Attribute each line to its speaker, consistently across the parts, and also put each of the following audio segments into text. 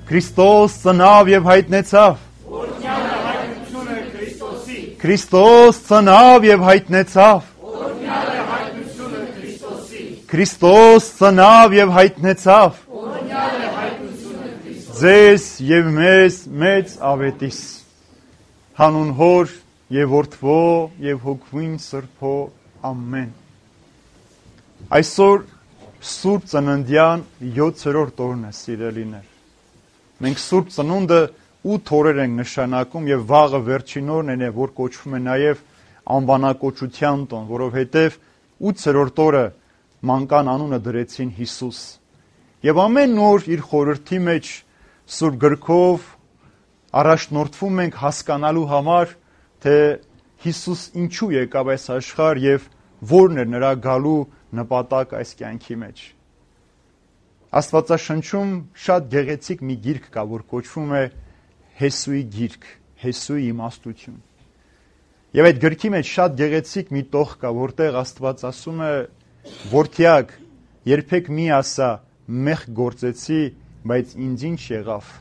Speaker 1: Քրիստոս ծնավ եւ հայտնեցավ։
Speaker 2: Օրհնյալը հայտնությունը Քրիստոսի։
Speaker 1: Քրիստոս ծնավ եւ հայտնեցավ։
Speaker 2: Օրհնյալը հայտնությունը Քրիստոսի։
Speaker 1: Քրիստոս ծնավ եւ հայտնեցավ։
Speaker 2: Օրհնյալը հայտնությունը Քրիստոսի։
Speaker 1: Ձեզ եւ մեզ մեծ ավետիս։ Հանուն Հոր եւ Որդվո եւ Հոգվին Սրբո ամեն։ Այսօր Սուրբ Ծննդյան 7-րդ օրն է, սիրելիներ։ Մենք Սուրբ Ծնունդը 8 օրեր ենք նշանակում եւ վաղը վերջին օրն է, որ կոչվում է նաեւ անվանակոչության տոն, որովհետեւ 8-րդ օրը մանկան անունը դրեցին Հիսուս։ Եվ ամեն օր իր խորհրդի մեջ Սուրբ գրքով առաջնորդվում ենք հասկանալու համար, թե Հիսուս ինչու եկավ այս աշխարհ եւ որն էր նրա գալու նպատակ այս կյանքի մեջ։ Աստվածաշնչում շատ գեղեցիկ մի գիրք կա, որ կոչվում է Հեսուի գիրք, Հեսուի իմաստություն։ Եվ այդ գրքի մեջ շատ գեղեցիկ մի տող կա, որտեղ Աստված ասում է. «Որդյակ, երբեք մի ասա, մեղք գործեցի, բայց ինձ ինչ եղավ։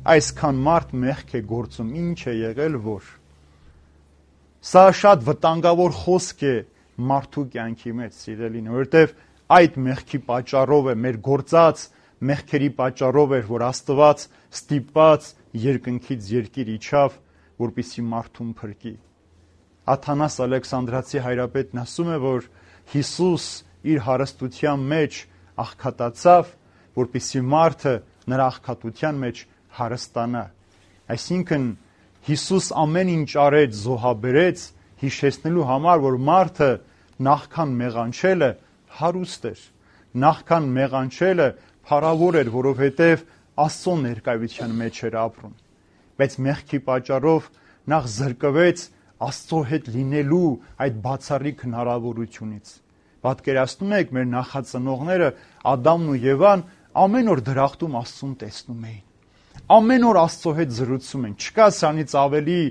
Speaker 1: Այսքան մարդ մեղք է գործում, ինչ է եղել որ»։ Սա շատ վտանգավոր խոսք է մարդու կյանքի մեջ, սիրելին, որովհետև այդ մեղքի պատճառով է, մեր գործած մեղքերի պատճառով էր, որ Աստված ստիպված երկնքից երկիր իջավ, որպեսզի մարդուն փրկի։ Աթանաս Ալեքսանդրացի հայրապետն ասում է, որ Հիսուս իր հարստության մեջ աղքատացավ, որպեսզի մարդը նրա աղքատության մեջ հարստանա։ Այսինքն Հիսուս ամեն ինչ արեց, զոհաբերեց, հիշեցնելու համար, որ մարդը նախքան մեղանչելը հարուստ էր, նախքան մեղանչելը փառավոր էր, որովհետև Աստծո ներկայության մեջ էր ապրում։ Բայց մեղքի պատճառով նախ զրկվեց Աստծո հետ լինելու այդ բացառիկ հնարավորությունից։ Պատկերացնում եք, մեր նախածնողները Ադամն ու Եվան ամեն օր դրախտում Աստծուն տեսնում էին։ Ամեն օր Աստծո հետ զրուցում են։ Չկա սրանից ավելի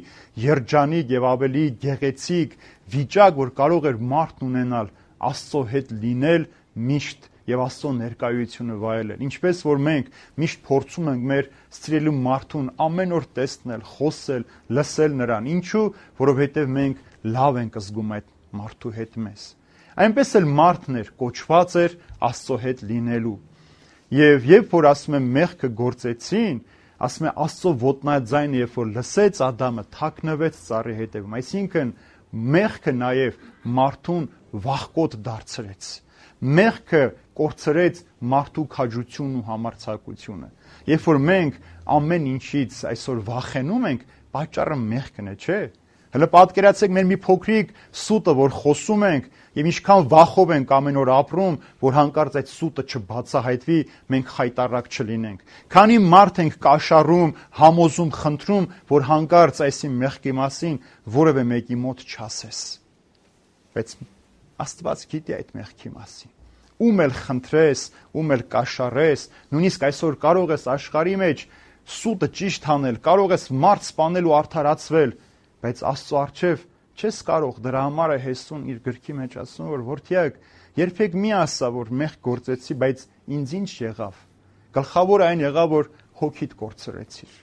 Speaker 1: երջանիկ եւ ավելի գեղեցիկ վիճակ, որ կարող էր մարդն ունենալ, Աստծո հետ լինել միշտ եւ Աստծո ներկայությունը վայելել։ Ինչպես որ մենք միշտ փորձում ենք մեր սիրելի մարդուն ամեն օր տեսնել, խոսել, լսել նրան։ Ինչու՞, որովհետեւ մենք լավ ենք զգում այդ մարդու հետ մեզ։ Այնպես էլ մարդն էր, կոչված էր Աստծո հետ լինելու։ Եվ երբ որ ասում եմ մեղքը գործեցին, ասում է Աստծո ոտնաձայնը, երբ որ լսեց Ադամը, թաքնվեց ծառի հետևում։ Այսինքն մեղքը նաև մարդուն վախկոտ դարձրեց։ Մեղքը կորցրեց մարդու քաջությունն ու համարձակությունը։ Երբ որ մենք ամեն ինչից այսօր վախենում ենք, պատճառը մեղքն է, չէ՞։ Հələ պատկերացեք մեր մի փոքրիկ սուտը, որ խոսում ենք եւ ինչքան վախով ենք ամեն օր ապրում, որ հանկարծ այդ սուտը չբացահայտվի, մենք խայտառակ չլինենք։ Քանի մարդ ենք կաշառում, համոզում, խնդրում, որ հանկարծ այսի մեղքի մասին որևէ մեկի մոտ չասես։ Բայց Աստված գիտի այդ մեղքի մասին։ Ում էլ խնդրես, ում էլ կաշառես, նույնիսկ այսօր կարող ես աշխարհի մեջ սուտը ճիշտ անել, կարող ես մարդ սպանել ու արդարացվել, բայց Աստծո առջև չես կարող։ Դրա համար է Հեսուն իր գրքի մեջ ասում, որ որդյակ, երբեք մի ասա, որ մեղք գործեցի, բայց ինձ ինչ եղավ։ Գլխավորը այն եղավ, որ հոգիդ կորցրեցիր։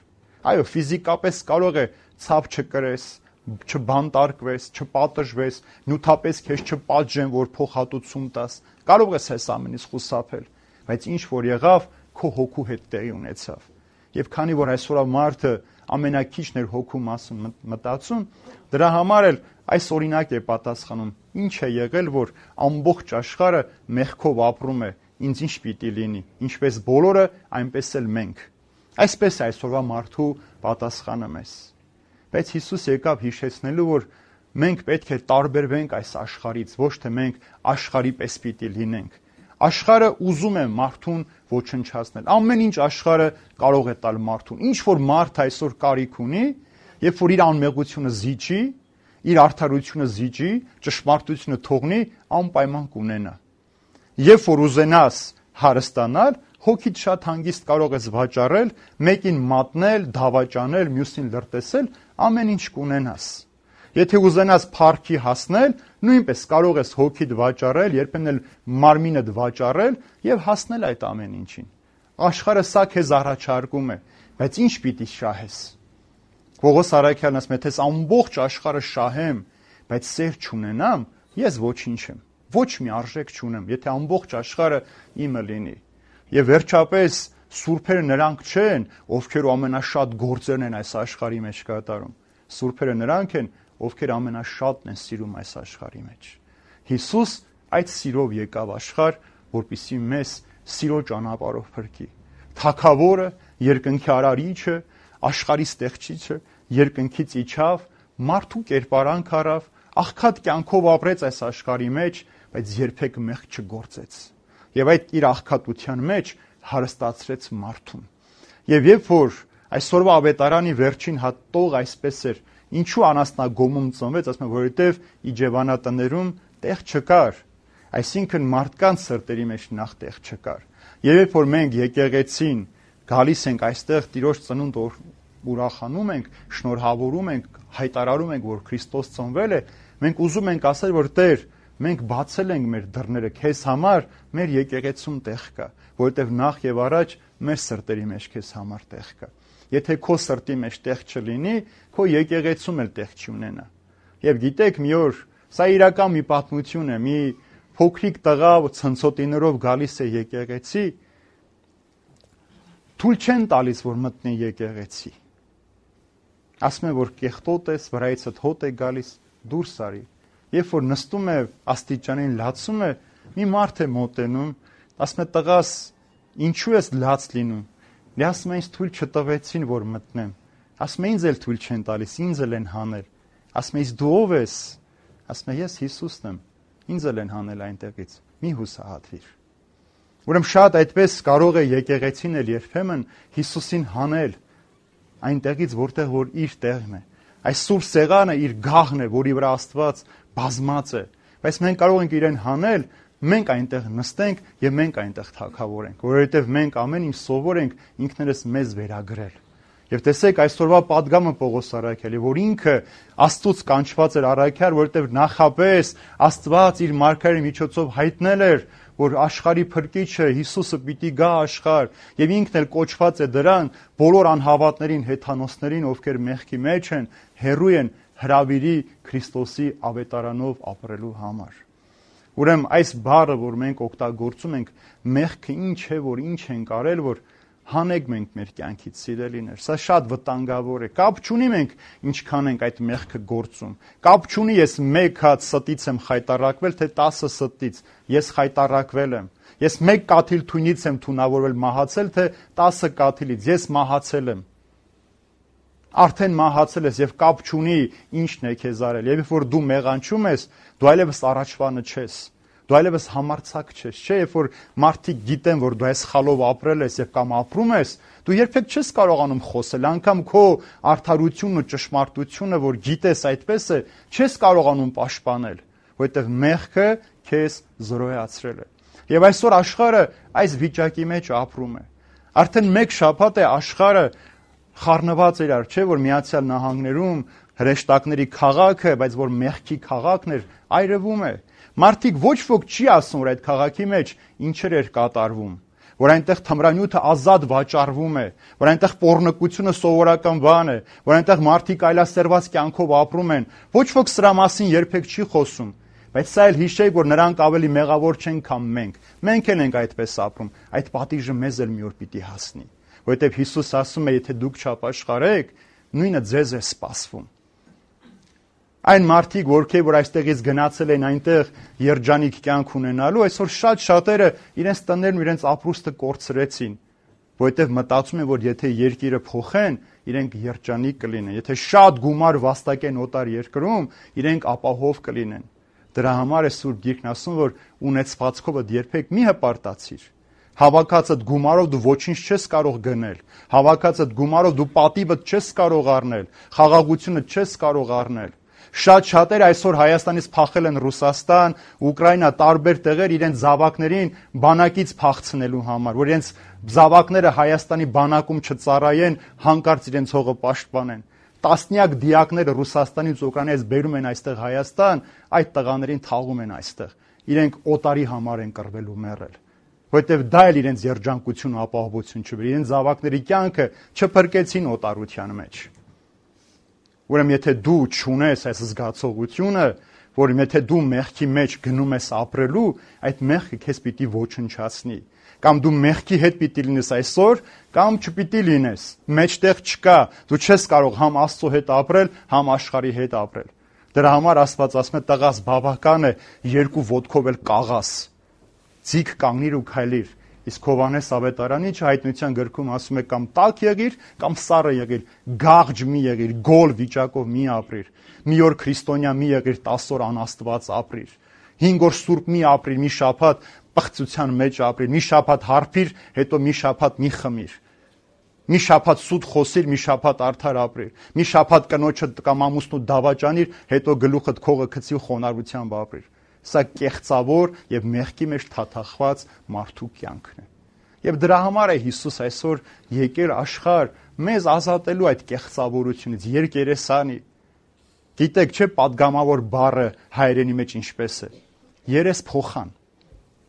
Speaker 1: Այո, ֆիզիկապես կարող է ցավ չկրես, չբանտարկվես, չպատժվես, նյութապես քեզ չպատժեն, որ փոխհատուցում տաս։ Կարող ես այս ամենից խուսափել, բայց ինչ որ եղավ, քո հոգու հետ տեղի ունեցավ։ Եվ քանի որ այսօր մարդը ամենակիչն էր հոգու մասին մտածում, դրա համար էլ այս օրինակ է պատասխանում. ինչ է եղել, որ ամբողջ աշխարհը մեղքով ապրում է, ինձ ինչ պիտի լինի, ինչպես բոլորը, այնպես էլ մենք։ Այսպես է այսօրվա մարդու պատասխանը մեզ։ Բայց Հիսուս եկավ հիշեցնելու, որ մենք պետք է տարբերվենք այս աշխարհից, ոչ թե մենք աշխարհի պես պիտի լինենք։ Աշխարհը ուզում է մարդուն ոչնչացնել։ Ամեն ինչ աշխարհը կարող է տալ մարդուն։ Ինչ որ մարդ այսօր կարիք ունի, երբ որ իր անմեղությունը զիջի, իր արդարությունը զիջի, ճշմարտությունը թողնի, անպայման կունենա։ Երբ որ ուզենաս հարստանալ, հոգիդ շատ հանգիստ կարող ես վաճառել, մեկին մատնել, դավաճանել, մյուսին լրտեսել, ամեն ինչ կունենաս։ Եթե ուզենաս փառքի հասնել, նույնպես կարող ես հոգիդ վաճառել, երբեմն էլ մարմինդ վաճառել եւ հասնել այդ ամեն ինչին։ Աշխարհը սա քեզ առաջարկում է, բայց ինչ պիտի շահես։ Պողոս Արաքյալն ասում է, թե ամբողջ աշխարհը շահեմ, բայց սեր չունենամ, ես ոչինչ եմ։ Ոչ մի արժեք չունեմ, եթե ամբողջ աշխարհը իմը լինի։ Եվ վերջապես սուրբերը նրանք չեն, ովքեր ամենաշատ գործերն են այս աշխարհի մեջ կատարում։ Սուրբերը նրանք են, ովքեր ամենաշատն են սիրում այս աշխարհի մեջ։ Հիսուս այդ սիրով եկավ աշխարհ, որպեսզի մեզ սիրո ճանապարհով փրկի։ Թագավորը, երկնքի արարիչը, աշխարհի ստեղծիչը երկնքից իջավ, մարդու կերպարանք առավ, աղքատ կյանքով ապրեց այս աշխարհի մեջ, բայց երբեք մեղք չգործեց։ Եվ այդ իր աղքատության մեջ հարստացրեց մարդուն։ Եվ երբ որ այսօրվա ավետարանի վերջին հատող այսպես էր, ինչու անասնագոմում ծնվեց, ասում եմ, որովհետև իջևանատներում տեղ չկար, այսինքն մարդկանց սրտերի մեջ նախ տեղ չկար։ Եվ երբ որ մենք եկեղեցին գալիս ենք այստեղ Տիրոջ ծնունդ ուրախանում ենք, շնորհավորում ենք, հայտարարում ենք, որ Քրիստոս ծնվել է, մենք ուզում ենք ասել, որ Տեր, մենք բացել ենք մեր դռները քեզ համար, մեր եկեղեցում տեղ կա, որովհետև նախ եւ առաջ մեր սրտերի մեջ քեզ համար տեղ կա։ Եթե քո սրտի մեջ տեղ չլինի, քո եկեղեցում էլ տեղ չի ունենա։ Եվ գիտեք, մի օր սա իրական մի պատմություն է, մի փոքրիկ տղա ցնցոտիներով գալիս է եկեղեցի, թույլ չեն տալիս, որ մտնի եկեղեցի։ Ասում է, որ կեղտոտ ես, վրայիցդ հոտ է գալիս, դուրս արի։ Երբ որ նստում է աստիճանին լացում է, մի մարդ է մոտենում, ասում է, տղաս, ինչու ես լաց լինում։ Նա ասում է, ինձ թույլ չտվեցին, որ մտնեմ։ Ասում է, ինձ էլ թույլ չեն տալիս, ինձ էլ են հանել։ Ասում է, իսկ դու ով ես։ Ասում է, ես Հիսուսն եմ, ինձ էլ են հանել այնտեղից։ Մի հուսահատվիր։ Ուրեմն շատ այդպես կարող է եկեղեցին էլ երբեմն Հիսուսին հանել այնտեղից, որտեղ որ իր տեղն է։ Այս սուրբ սեղանը իր գաղն է, որի վրա Աստված բազմած է, բայց մենք կարող ենք իրեն հանել, մենք այնտեղ նստենք եւ մենք այնտեղ թագավորենք, որովհետեւ մենք ամեն ինչ սովոր ենք ինքներս մեզ վերագրել։ Եվ տեսեք այսօրվա падգամը Պողոս Արաքյալի, որ ինքը Աստծուց կանչված էր առաքյալ, որովհետև նախապես Աստված իր մարգարեի միջոցով հայտնել էր, որ աշխարհի փրկիչը Հիսուսը պիտի գա աշխարհ, եւ ինքն էլ կոչված է դրան բոլոր անհավատներին, հեթանոսներին, ովքեր մեղքի մեջ են, հեռու են հրավիրի Քրիստոսի ավետարանով ապրելու համար։ Ուրեմն այս բառը, որ մենք օգտագործում ենք, մեղքը ինչ է, որ ինչ ենք արել, որ հանեք մենք մեր կյանքից սիրելիներ, սա շատ վտանգավոր է, կապ չունի մենք ինչքան ենք այդ մեղքը գործում, կապ չունի ես մեկ հատ ստից եմ խայտարակվել, թե 10 ստից, ես խայտարակվել եմ, ես մեկ կաթիլ թույնից եմ թունավորվել մահացել, թե 10 կաթիլից, ես մահացել եմ, արդեն մահացել ես և կապ չունի ինչն է քեզ արել, և որ դու մեղանչում ես, դու այլևս առաջվանը չես, դու այլևս համարձակ չես, չէ, երբ որ մարդիկ գիտեն, որ դու այս սխալով ապրել ես եւ կամ ապրում ես, դու երբեք չես կարողանում խոսել, անգամ քո արդարությունն ու ճշմարտությունը, որ գիտես այդպես է, չես կարողանում պաշտպանել, որովհետեւ մեղքը քեզ զրոյացրել է։ Եվ այսօր աշխարհը այս վիճակի մեջ ապրում է։ Արդեն մեկ շաբաթ է աշխարհը խառնված էր, չէ, որ Միացյալ Նահանգներում հրեշտակների քաղաքը, բայց որ մեղքի քաղաքն էր, այրվում է։ Մարդիկ ոչ ոք չի ասում, որ այդ քաղաքի մեջ ինչեր էր կատարվում, որ այնտեղ թմրանյութը ազատ վաճառվում է, որ այնտեղ պոռնկությունը սովորական բան է, որ այնտեղ մարդիկ այլասերված կյանքով ապրում են, ոչ ոք սրա մասին երբեք չի խոսում, բայց սա էլ հիշեք, որ նրանք ավելի մեղավոր չեն, քան մենք։ Մենք էլ ենք այդպես ապրում, այդ պատիժը մեզ էլ մի օր պիտի հասնի, որովհետև Հիսուս ասում է, եթե դուք չապաշխարեք, նույնը ձեզ է սպասվում։ Այն մարդիկ, որ այստեղից գնացել են այնտեղ երջանիկ կյանք ունենալու, այսօր շատերը իրենց տներն ու իրենց ապրուստը կորցրեցին, որովհետև մտածում են, որ եթե երկիրը փոխեն, իրենք երջանիկ կլինեն, եթե շատ գումար վաստակեն օտար երկրում, իրենք ապահով կլինեն։ Դրա համար է Սուրբ Գիրքն ասում, որ ունեցվածքովդ երբեք մի հպարտացիր։ Հավաքածդ գումարով դու ոչինչ չես կարող գնել, հավաքածդ գումարով դու պատիվդ չես կարող առնել, խաղաղությունը չես կարող առնել։ Շատերը այսօր Հայաստանից փախել են Ռուսաստան, Ուկրաինա, տարբեր տեղեր իրենց զավակներին բանակից փախցնելու համար, որ իրենց զավակները Հայաստանի բանակում չծառայեն, հանկարծ իրենց հողը պաշտպանեն։ Տասնյակ դիակները Ռուսաստանից Ուկրաինայից բերում են այստեղ Հայաստան, այդ տղաներին թաղում են այստեղ։ Իրենք օտարի համար են կռվել ու մեռել, որտեվ դա էլ իրենց երջանկություն ու ապահովություն չբերի, իրենց զավակների կյանքը չփրկեցին օտարության մեջ։ Ուրեմն եթե դու չունես այս զգացողությունը, որ եթե դու մեղքի մեջ գնում ես ապրելու, այդ մեղքը քեզ պիտի ոչնչացնի, կամ դու մեղքի հետ պիտի լինես այսօր, կամ չպիտի լինես, մեջտեղ չկա, դու չես կարող համ Աստծո հետ ապրել, համ աշխարհի հետ ապրել։ Դրա համար Աստված ասում է՝ տղաս, բավական է երկու ոտքով էլ կաղաս, ձիգ կանգնիր ու քայլիր։ Իսկ Հովհաննես Ավետարանի հայտնության գրքում ասում է՝ կամ տաք եղիր, կամ սառը եղիր, գաղջ մի եղիր, գոլ վիճակով մի ապրիր, մի օր քրիստոնյա մի եղիր, 10 օր անաստված ապրիր, 5 օր սուրբ մի ապրիր, մի շաբաթ պղծության մեջ ապրիր, մի շաբաթ հարբիր, հետո մի շաբաթ մի խմիր, մի շաբաթ սուտ խոսիր, մի շաբաթ արդար ապրիր, մի շաբաթ կնոջը կամ ամուսնու դավաճանիր, հետո գլուխդ քողը գցի ու խոնարհությամբ ապրիր։ Սա կեղծավոր եւ մեղքի մեջ թաթախված մարդու կյանքն է։ Եվ դրա համար է Հիսուս այսօր եկել աշխարհ մեզ ազատելու այդ կեղծավորությունից, երկերեսանի։ Գիտեք, չէ՞ պատգամավոր բառը հայերենի մեջ ինչպես է։ Երես փոխան։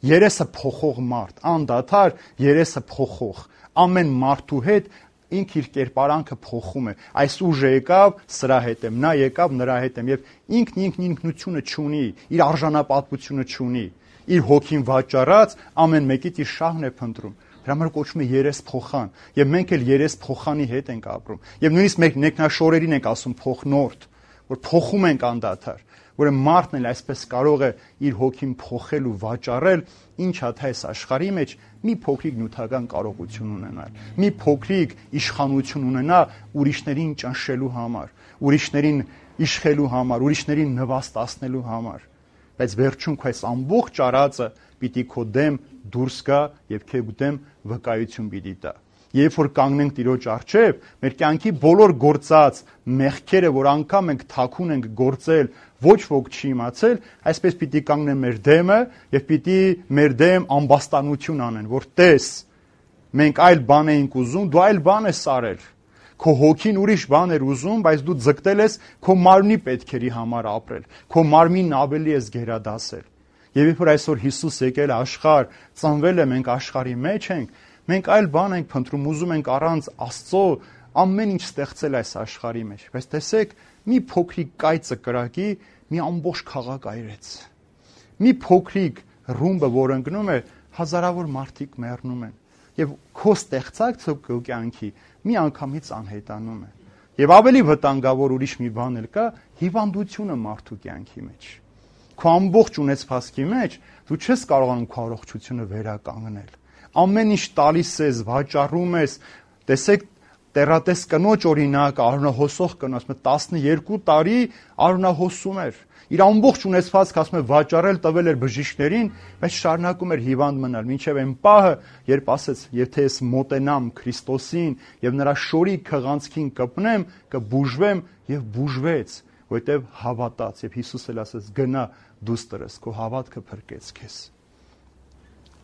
Speaker 1: Երեսը փոխող մարդ, անդադար երեսը փոխող։ Ամեն մարդու հետ ինք իր կերպարանքը փոխում է։ Այս ուժը եկավ, սրա հետ եմ, նա եկավ, նրա հետ եմ, եւ ինքն ինքնությունը չունի, իր արժանապատվությունը չունի, իր հոգին վաճառած ամեն մեկից իր շահն է փնտրում։ Դրա համար կոչվում է երես փոխան, եւ մենք էլ երես փոխանի հետ ենք ապրում։ Եվ նույնիսկ մենք նեկնաշորերին ենք ասում փոխնորդ, որ փոխում ենք անդադար, որ մարդն էլ այսպես կարող է իր հոգին փոխել ու վաճառել, ինչա թե այս աշխարհի մեջ մի փոքրիկ նյութական կարողություն ունենալ, մի փոքրիկ իշխանություն ունենա ուրիշներին ճնշելու համար, ուրիշներին իշխելու համար, ուրիշներին նվաստացնելու համար։ Բայց վերջում քո այս ամբողջ արածը պիտի քո դեմ դուրս գա եւ քո դեմ վկայություն պիտի տա։ Երբ որ կանգնենք Տիրոջ առջև, մեր կյանքի բոլոր գործած մեղքերը, որ անգամ ենք թաքուն ենք գործել, ոչ ոք չի իմացել, այսպես պիտի կանգնեն մեր դեմը եւ պիտի մեր դեմ ամբաստանություն անեն, որ տես, մենք այլ բան էինք ուզում, դու այլ բան ես արել։ Քո հոգին ուրիշ բան էր ուզում, բայց դու ձգտել ես քո մարմնի պետքերի համար ապրել, քո մարմինն ավելի ես գերադասել։ Եվ երբ որ այսօր Հիսուս եկել աշխարհ, ծնվել է, մենք աշխարհի մեջ ենք, մենք այլ բան ենք փնտրում, ուզում ենք առանց Աստծո ամեն ինչ ստեղծել այս աշխարհի մեջ։ Բայց տեսեք, մի փոքրիկ կայծը կրակի մի ամբողջ քաղաք այրեց։ Մի փոքրիկ ռումբը, որ ընկնում է, հազարավոր մարդիկ մեռնում են։ Եվ քո ստեղծած քո կյանքի մի անգամից անհետանում է։ Եվ ավելի վտանգավոր ուրիշ մի բան էլ կա՝ հիվանդությունը մարդու կյանքի մեջ։ Քո ամբողջ ունեցվածքի մեջ դու չես կարողանում քո առողջությունը վերականգնել։ Ամեն ինչ տալիս ես, վաճառում ես։ Տեսեք, տերատես կնոջ օրինակ, արյունահոսող կնոջ 12 տարի արյունահոսում էր։ Իր ամբողջ ունեցվածքը ասում է վաճառել տվել էր բժիշկներին, բայց շարունակում էր հիվանդ մնալ, մինչև այն պահը, երբ ասեց, եթե ես մոտենամ Քրիստոսին եւ նրա շորի քղանցքին կպնեմ, կբուժվեմ եւ բուժվեց, որտեւ հավատաց եւ Հիսուս էլ ասեց գնա դուստրս, քո հավատքը փրկեց քեզ։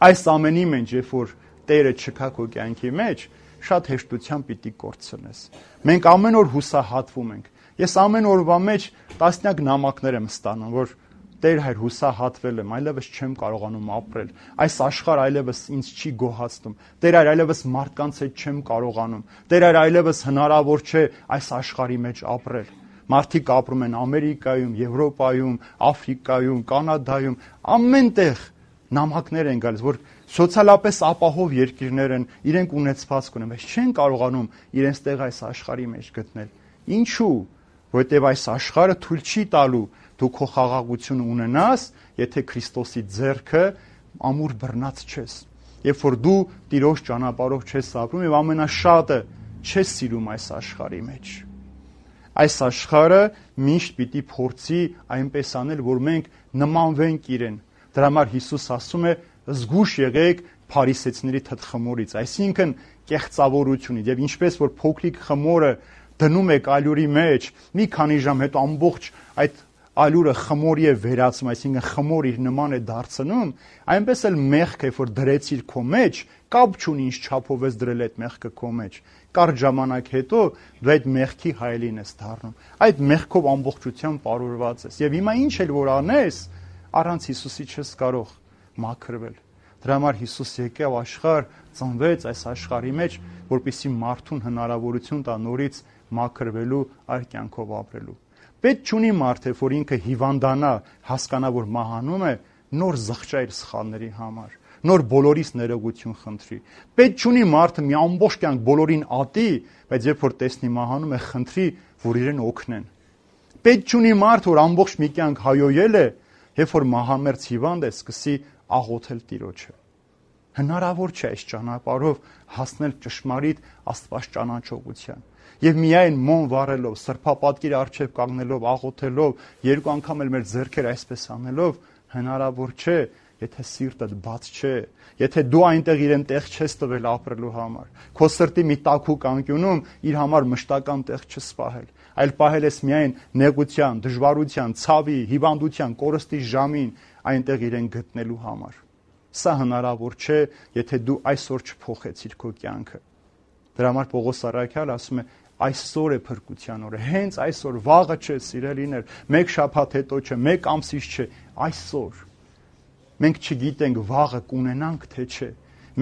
Speaker 1: Այս ամենի մեջ, երբ որ Տերը չկա քո կյանքի մեջ, շատ հեշտությամբ պիտի կորցնես։ Մենք ամեն օր հուսահատվում ենք։ Ես ամեն օրվա մեջ տասնյակ նամակներ եմ ստանում, որ Տեր հայր հուսահատվել եմ, այլևս չեմ կարողանում ապրել։ Այս աշխարհը այլևս ինձ չի գոհացնում։ Տեր հայր այլևս մարդկանց հետ չեմ կարողանում։ Տեր հայր այլևս հնարավոր չէ այս աշխարհի մեջ ապրել։ Մարդիկ ապրում են Ամերիկայում, Եվրոպայում, Աֆրիկայում, Կանադայում, ամենտեղ նամակներ են գալիս, որ սոցիալապես ապահով երկիրներ են, իրենք ունեցվածք ունեն, բայց չեն կարողանում իրենց տեղ այս աշխարհի մեջ գտնել։ Ինչու՞։ Որտեւ այս աշխարհը թույլ չի տալու դու քո խաղաղությունը ունենաս, եթե Քրիստոսի ձեռքը ամուր բռնած չես։ Երբ որ դու Տիրոջ ճանապարհով չես ապրում եւ ամենաշատը չես սիրում այս աշխարհի մեջ։ Այս աշխարհը միշտ պիտի փորձի այնպես անել, որ մենք նմանվենք իրեն։ Դրա համար Հիսուս ասում է. զգուշ եղեք փարիսեցիների թթխմորից, այսինքն կեղծավորությունից, եւ ինչպես որ փոքրիկ խմորը դնում եք ալյուրի մեջ, մի քանի ժամ հետո ամբողջ այդ ալյուրը խմորի է վերածում, այսինքն խմոր իր նման է դարձնում, այնպես էլ մեղքը, որ դրեցիր քո մեջ, կապ չունի ինչ չափով ես դրել այդ մեղքը քո մեջ։ Կարճ ժամանակ հետո դու այդ մեղքի հայելին ես դառնում։ Այդ մեղքով ամբողջությամբ պարուրված ես։ Եվ հիմա ինչ էլ որ անես, առանց Հիսուսի չես կարող մաքրվել։ Դրա համար Հիսուս եկավ աշխարհ, ծնվեց այս աշխարհի մեջ, որպեսզի մարդուն հնարավորություն տա նորից մաքրվելու, այլ կյանքով ապրելու։ Պետք չունի մարդը, որ ինքը հիվանդանա, հասկանա, որ մահանում է, նոր զղջա իր սխալների համար, նոր բոլորից ներողություն խնդրի։ Պետք չունի մարդը մի ամբողջ կյանք բոլորին ատի, բայց երբ որ տեսնի մահանում է, խնդրի, որ իրեն օգնեն։ Պետք չունի մարդ, որ ամբողջ մի կյանք հայոյել է, երբ որ մահամերձ հիվանդ է, սկսի աղոթել Տիրոջը։ Հնարավոր չէ այս ճանապարհով հասնել ճշմարիտ Աստված ճանաչողության։ Եվ միայն մոմ վառելով, սրբապատկերի առջև կանգնելով, աղոթելով, երկու անգամ էլ մեր ձեռքերը այսպես անելով, հնարավոր չէ, եթե սիրտդ բաց չէ, եթե դու այնտեղ իրեն տեղ չես տվել ապրելու համար, քո սրտի մի տաքուկ անկյունում իր համար մշտական տեղ չես պահել, այլ պահել ես միայն նեղության, դժվարության, ցավի, հիվանդության, կորստի ժամին այնտեղ իրեն գտնելու համար։ Սա հնարավոր չէ, եթե դու այսօր չփոխեցիր քո կյանքը։ Դրա համար Պողոս առաքյալը ասում է, այսօր է փրկության օրը, հենց այսօր, վաղը չէ, սիրելիներ, մեկ շաբաթ հետո չէ, մեկ ամսից չէ, այսօր։ Մենք չգիտենք վաղը կունենանք, թե չէ։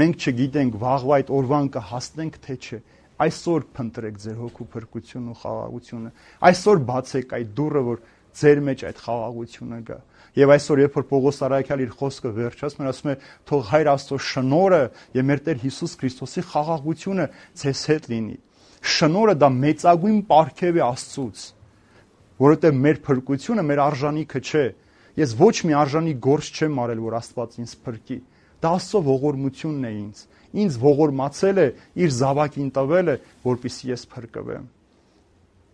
Speaker 1: Մենք չգիտենք վաղվա այդ օրվան կհասնենք, թե չէ։ Այսօր փնտրեք ձեր հոգու փրկությունն ու խաղաղությունը։ Այսօր բացեք այդ դուռը, որ ձեր մեջ այդ խաղաղությունը գա։ Եվ այսօր, երբ որ Պողոս առաքյալը իր խոսքը վերջացնում է, ասում է, թող Հայր Աստծո շնորհը եւ մեր Տեր Հիսուս Քրիստոսի խաղաղությունը ձեզ հետ լինի։ Շնորհը դա մեծագույն պարգև է Աստծուց, որովհետեւ մեր փրկությունը մեր արժանիքը չէ։ Ես ոչ մի արժանի գործ չեմ արել, որ Աստված ինձ փրկի։ Դա Աստծո ողորմությունն է ինձ։ Ինձ ողորմացել է, իր զավակին տվել է, որպեսզի ես փրկվեմ։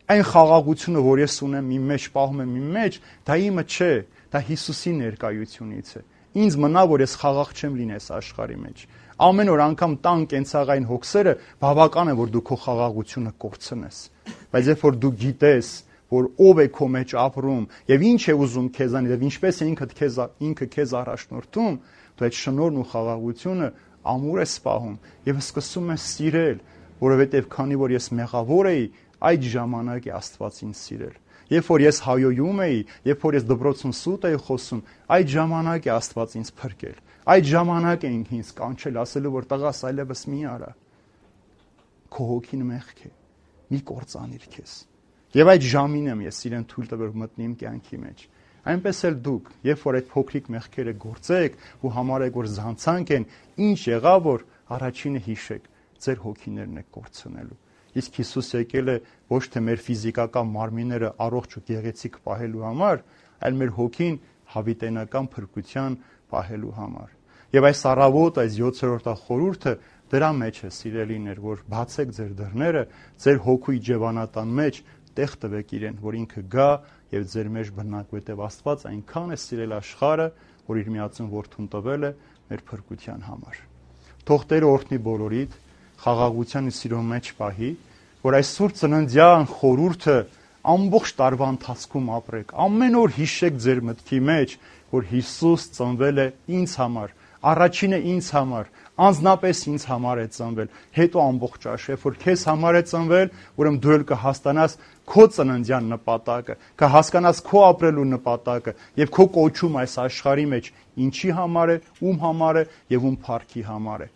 Speaker 1: Այն խաղաղությունը, որ ես ունեմ իմ մեջ, պահում եմ իմ մեջ, դա իմը չէ, դա Հիսուսի ներկայությունից է։ Ինձ մնա, որ ես խաղաղ չեմ լինես աշխարհի մեջ։ Ամեն օր անգամ տան կենցաղային հոգսերը բավական է, որ դու քո խաղաղությունը կորցնես։ Բայց երբ որ դու գիտես, որ ով է քո մեջ ապրում եւ ինչ է ուզում քեզանից եւ ինչպես է ինքը քեզ առաջնորդում, դու այդ շնորհն ու խաղաղությունը ամուր ես սպահում եւ սկսում ես սիրել, որովհետեւ քանի որ ես մեղավոր էի, այդ ժամանակ է Աստված ինձ սիրել։ Երբ որ ես հայոյում էի, երբ որ ես դպրոցում սուտ էի խոսում, այդ ժամանակ է Աստված ինձ փրկել։ Այդ ժամանակ է ինձ կանչել ասելու, որ տղաս այլևս մի արա։ Քո հոգին մեղք է։ Մի կործանիր քեզ։ Եվ այդ ժամին եմ ես իրեն թույլ տվել մտնի իմ կյանքի մեջ։ Այնպես էլ դուք, երբ որ այդ փոքրիկ մեղքերը գործեք ու համարեք, որ զանցանք են, ինչ եղավ, որ առաջինը հիշեք, ձեր հոգիներն եք կորցնելու։ Իսկ Հիսուս եկել է ոչ թե մեր ֆիզիկական մարմինները առողջ ու գեղեցիկ պահելու համար, այլ մեր հոգին հավիտենական փրկության պահելու համար։ Եվ այս առավոտ, այս 7-րդ խորհուրդը դրա մեջ է, սիրելիներ, որ բացեք ձեր դռները, ձեր հոգու իջևանատան մեջ տեղ տվեք իրեն, որ ինքը գա եւ ձեր մեջ բնակվի, որտեւ Աստված այնքան է սիրել աշխարհը, որ իր միածուն որդուն տվել է մեր փրկության համար։ Թող Տերը օրհնի բոլորիդ, խաղաղության ու սիրո մեջ պահի, որ այս սուրբ ծննդյան խորհուրդը ամբողջ տարվա ընթացքում ապրեք։ Ամեն օր հիշեք ձեր մտքի մեջ, որ Հիսուս ծնվել է ինձ համար, առաջինը ինձ համար, անձնապես ինձ համար է ծնվել, հետո ամբողջ աշխարհ, որ քեզ համար է ծնվել, ուրեմն դու էլ կհասկանաս քո ծննդյան նպատակը, կհասկանաս քո ապրելու նպատակը եւ քո կոչում այս աշխարհի մեջ ինչի համար է, ում համար է եւ ում փառքի համար է։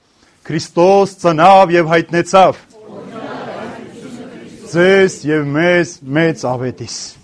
Speaker 1: Քրիստոս ծնավ եւ հայտնեցավ։ Ձեզ եւ մեզ մեծ ավետիս։